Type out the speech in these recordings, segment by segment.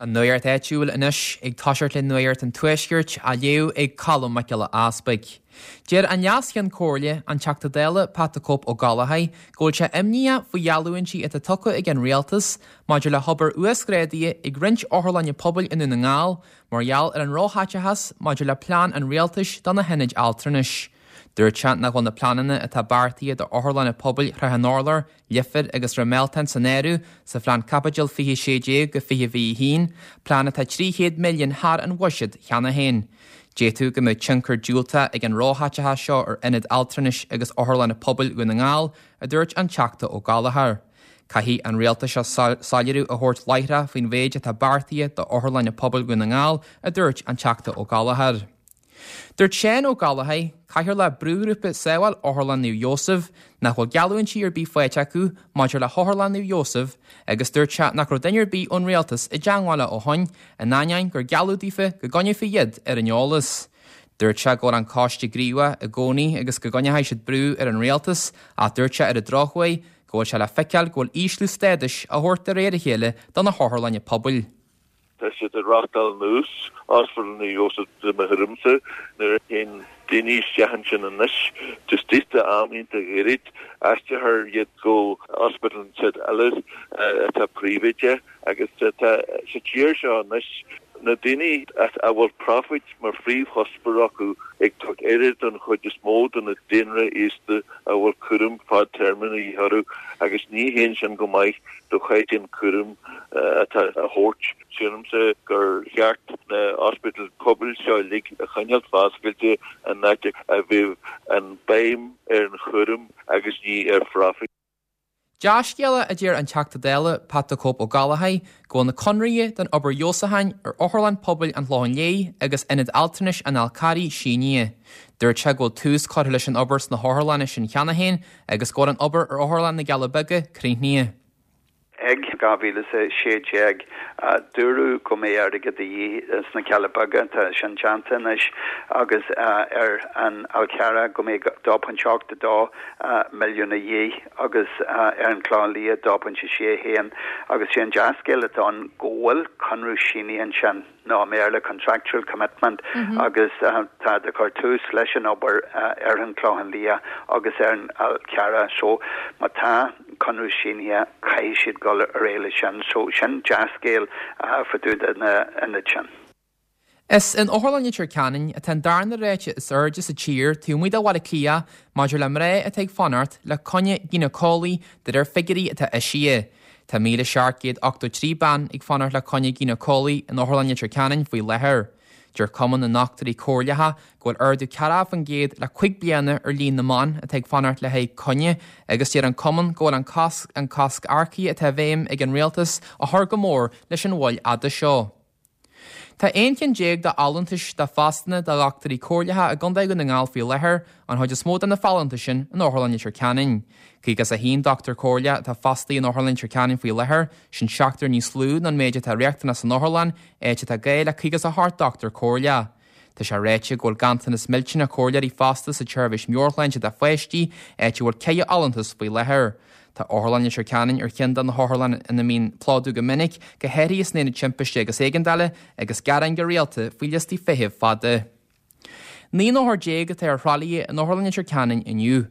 An Nuacht Áitiúil anois, ag toiseacht le Nuacht an Tuaiscirt, á léamh ag Colm Mac Giolla Easpaig. Deir an Leas-Cheann Comhairle, an Teachta Dála Pat 'The Cope' Ó Gallchóir, go bhfuil sé imníoch faoi gheallúintí atá tugtha ag an Rialtas maidir le hobair uasghrádaithe ag roinnt otharlainne pobail i nDún na nGall mar gheall ar an róchaiteachas maidir le plean an Rialtais do na hionaid altranais. Dúirt sé nach bhfuil na pleananna atá beartaithe d'otharlanna pobail Shrath an Urláir, Leifear agus Ráth Mealtain san áireamh sa phlean Caipiteal 2016-2021, plean atá 300 milliún thar an bhuiséad cheana féin. D'fhéadfadh go mbeadh tionchar diúltach ag an róchaiteachas seo ar ionaid altranais agus otharlanna pobail Dhún na nGall, a dúirt an Teachta Ó Gallchóir. Caithfidh an rialtas seo soiléiriú a thabhairt láithreach faoin mhéid atá beartaithe d'otharlanna pobail Dhún na nGall, a dúirt an Teachta Ó Gallchóir. Dúirt Seán Ó Gallchóir, Cathaoirleach Brúghrúpa Sábháil Otharlann Naomh Iósaf, nach bhfuil geallúintí ar bith faighte acu maidir le hOtharlann Naomh Iósaf agus dúirt sé nach raibh duine ar bith ón Rialtas i dteangmháil leo ó shoin, in ainneoin gur gealladh daofa go gcoinneofaí iad ar an eolas. Dúirt sé go bhfuil an coiste gníomhach i gcónaí agus go gcoinneoidh siad brú ar an Rialtas ach dúirt sé ar an drochuair go bhfuil sé le feiceáil go bhfuil ísliú stádais á thabhairt de réir a chéile do na hotharlainne pobail. Tá siad ag reáchtáil anuas Ospidéal Naomh Iósaf de mo thuairimse nuair a théann daoine isteach ansin anois just istigh d'am iontach ghairid aistreofar iad go ospidéal ansiúd eile atá príobháideach agus tá sa tír seo anois na daoine a bhfuil profit mar phríomhchuspóir acu ag tabhairt aire don chuid is mó de na daonra aosta a bhfuil cúram fadtéarma de dhíth orthu agus ní théann sin go maith do chaighdeán cúraim atá á thabhairt. Sílimse gur cheart na hospidéil pobail seo uilig a choinneáilt foscailte in áit a bheadh an béim ar an chúram agus ní ar phrofit. Dea-scéala, a deir an Teachta Dála Pat 'The Cope' Ó Gallchóir, go bhfuil na conraithe don obair fheabhsúcháin ar Otharlann Pobail an Chlocháin Léith agus Ionad Altranais an Fhál Carraigh sínithe. Dúirt sé go bhfuil tús curtha leis an obair sna hotharlanna sin cheana féin agus go bhfuil an obair ar Otharlann na gCealla Beaga críochnaithe. Ag 2016, dúradh go mbeidh airgead de dhíth sna Cealla Beaga, tá sin déanta anois, agus ar an Fhál Carrach go mbeidh 2.82 milliún a dhíth agus ar an Chlochán Liath 2.61 agus sé an dea-scéal atá ann go bhfuil conradh sínithe ansin. nó i mBéarla contractual commitment, agus táid ag cur tús leis an obair ar an Chlochán Liath agus ar an Fhál Carrach. So má tá conradh sínithe caithfidh siad dul ar aghaidh leis sin. So sin dea-scéal fá dtaobh de na hionaid sin. Is in Otharlann Leitir Ceanainn atá an darna ráta is airde sa tír taobh amuigh de Bhaile Átha Cliath maidir le mná atá ag fanacht le coinne gínéiceolaí de réir figiúirí atá eisithe. Tá 1,783 bean ag fanacht le coinne gínéiceolaí in Otharlann Leitir Ceanainn faoi láthair. Deir Cumann na nDochtúirí Comhairleacha go bhfuil ardú 40% le cuig bliana ar líon na mban atá ag fanacht le haghaidh coinne agus deir an cumann go bhfuil an cosc an cosc earcaithe atá i bhfeidhm ag an rialtas ag cur go mór leis an mhoill fhada seo. Tá 11 ceann de fholúntais de phostanna do dhochtúirí comhairleacha i gContae Dhún na nGall faoi láthair, an chuid is mó de na folúntais sin in Otharlann Leitir Ceanainn. 51 dochtúir comhairleach atá fostaithe in Otharlann Leitir Ceanainn faoi láthair, sin seachtar níos lú ná an méid atá riachtanach san otharlann, áit atá gá le 58 dochtúir comhairleach. Tá sé ráite go bhfuil ganntanas millteanach comhairleoirí fosta sa tseirbhís meabhairshláinte do pháistí, áit a bhfuil 4 fholúntas faoi láthair. Tá Otharlann Leitir Ceanainn ar cheann de na hotharlanna ina mbíonn plódú go minic, go háirithe san aonad timpiste agus éigeandála, agus gearáin go rialta faoi liostaí feithimh fada. 19 n-othar atá ar thralaithe in Otharlann Leitir Ceanainn inniu.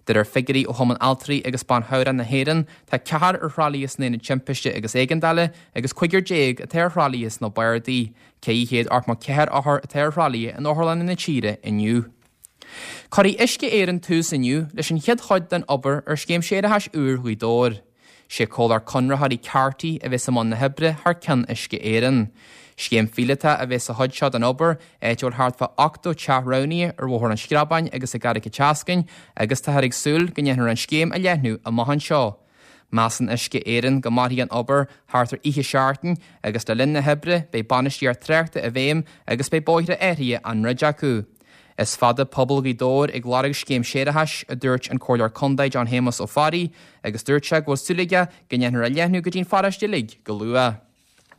De réir figiúirí ó Chumann Altraí agus Ban Chabhrach na hÉireann, tá ceathrar ar thralaithe san aonad timpiste agus éigeandála agus cúigear atá ar thralaithe sna bardaí. 484 othar atá ar thralaithe in otharlanna na tíre inniu. Cuirfidh Uisce Éireann tús inniu leis an chéad chuid den obair ar scéim séarachais úr Ghaoth Dobhair. Sé comhlacht conraitheoirí Carty a bheas i mbun na hoibre thar ceann Uisce Éireann. Scéim phíolótach a bheas sa chuid seo den obair, áit a bhfuil thart fá 80 teach roghnaithe ar Bhóthar an Screabáin agus i gCarraig an tSeascainn agus táthar ag súil go ndéanfar an scéim a leathnú amach anseo. Measann Uisce Éireann go mairfidh an obair thart ar 20 seachtain agus le linn na hoibre beidh bainistíocht tráchta i bhfeidhm agus beidh bóithre áirithe á ndruid acu. Is fada pobal Ghaoth Dobhair ag lorg scéim séarachais, a dúirt an Comhairleoir Contae John Shéamus Ó Fearraigh agus dúirt sé go bhfuil súil aige go ndéanfar a leathnú go dtí'n pharóiste uilig go luath.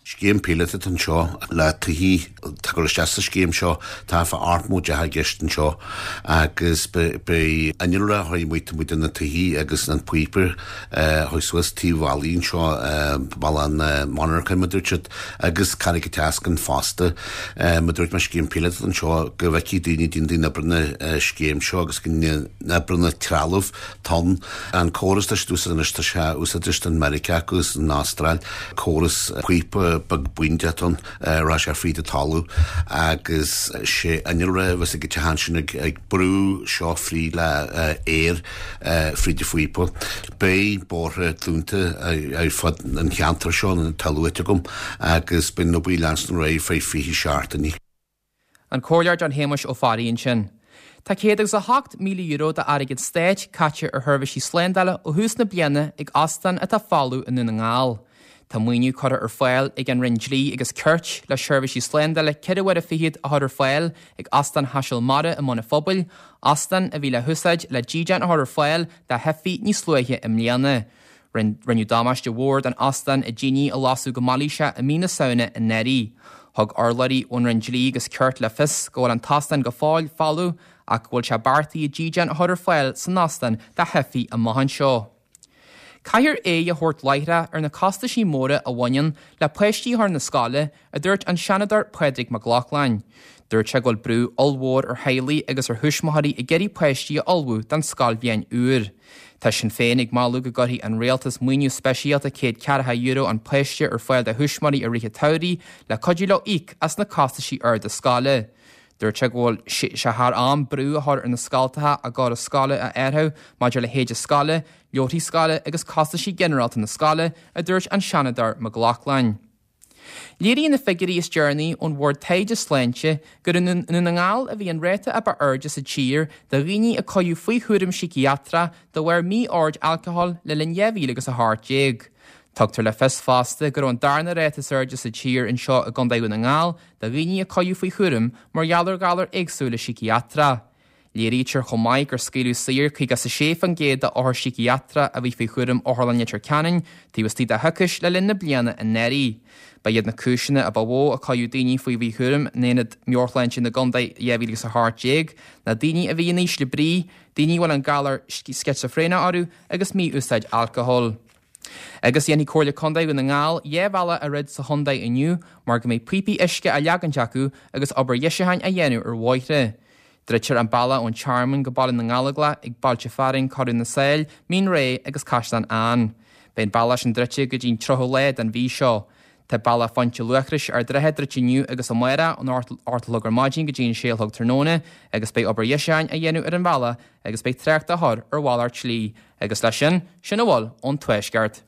Scéim píolóta atá anseo le tithe atá ag dul isteach sa scéim seo. Tá fá 80 dteach i gceist anseo agus beidh innealra a chuir muid amuigh de na tithe agus an píopa a chuaigh suas taobh bhallaí anseo, balla an mhonarcha mar a dúirt siad, agus Carraig an tSeascainn fosta. Mar a dúirt mé scéim píolóta atá anseo go bhfeicfidh daoine daoine an obair na scéim seo agus go n-oibreann an trealamh tonn. An córas atá siad úsáid anois, tá sé úsáidte in Meiriceá agus san Astráil, córas píopa beag bíndeach ann, rachaidh sé fríd an talamh agus sé innealra a bheas ag an teach ansin ag brú seo fríd le aer fríd an phíopa. Beidh bóithre dúnta ar fud an cheantair seo, atá luaite agam, agus beidh an obair ag leanstan ar aghaidh feadh 20 seachtainí. An Comhairleoir John Shéamuis Ó Fearraigh ansin. Tá €108,000 d'airgead stáit caite ar sheirbhísí slándála ó thús na bliana ag óstán atá folamh i nDún na nGall. Tá maoiniú curtha ar fáil ag an Roinn Dlí agus Cirt le seirbhísí slándála 4 huaire fichead a chur ar fáil ag Óstán Chaiseal Mara i mBun an Phobail, óstán a bhí le húsáid le dídean a chur ar fáil do theifigh níos luaithe i mbliana. Rinneadh damáiste mhór don óstán i dtine a lasadh go mailíseach i mí na Samhna anuraidh. Thug urlabhraí ón Roinn Dlí agus Cirt le fios go bhfuil an t-óstán go fóill folamh ach go bhfuil sé beartaithe dídean a chur ar fáil san óstán do theifigh amach anseo. Caithfear aghaidh a thabhairt láithreach ar na costaisí móra a bhaineann le páistí a chur na scoile, a dúirt an Seanadóir Pádraig Mac Lochlainn. Dúirt sé go bhfuil brú ollmhór ar theaghlaigh agus ar thuismitheoirí ag iarraidh páistí a ullmhú don scoilbhliain úr. Tá Sinn Féin ag moladh go gcuirfidh an rialtas maoiniú speisialta €140 an páiste ar fáil do thuismitheoirí i rith an tsamhraidh le cuidiú leo íoc as na costaisí arda scoile. Dúirt sé go bhfuil sé thar am brú a chur ar na scoltacha a gcóras scoile a athrú maidir le héide scoile, leabharthaí scoile agus costaisí ginearálta na scoile, a dúirt an Seanadóir Mac Lochlainn. Léiríonn na figiúirí is deireanaí ón Bhord Taighde Sláinte gur i nDún na nGall a bhí an ráta a ba airde sa tír de dhaoine a cuireadh faoi chúram síciatrach de bharr mí-ord alcohol le linn 2018. Tugtar le fios fosta go raibh an darna ráta is airde sa tír anseo i gContae Dhún na nGall de dhaoine a cuireadh faoi chúram mar gheall ar ghalair éagsúla síciatrach. Léirítear chomh maith gur scaoileadh saor 56% d'othair síciatrach a bhí faoi chúram Otharlann Leitir Ceanainn taobh istigh de choicís le linn na bliana anuraidh. Ba iad na cúiseanna a ba mhó a cuireadh daoine faoi mhíchúram in Aonad Meabhairshláinte na gContae 2018 ná daoine a bhí in ísle brí, daoine a bhfuil an galar sceitsifréineach orthu agus mí-úsáid alcóil. Agus dhéanfaidh Comhairle Contae Dhún na nGall 2 bhealach a dhruid sa chontae inniu mar go mbeidh píopaí uisce á leagaint acu agus obair dheisiúcháin á dhéanamh ar bhóithre. Druidtear an bealach ón Tearmann go Baile na nGallóglach ag bailte fearainn Corradh na Sáil, Mín Réidh agus Caisleán Ann. Beidh an bealach sin druidte go dtí an 30ú lá den mhí seo. Tá bealach Phointe Luachrais Ard an Rátha druidte inniu agus amárach ón 8 a chlog ar maidin go dtí an 6 a chlog tráthnóna agus beidh obair dheisiúcháin á dhéanamh ar an bhealach agus beidh trácht á chur ar mhalairt slí. Agus leis sin, sin a bhfuil ón Tuaisceart.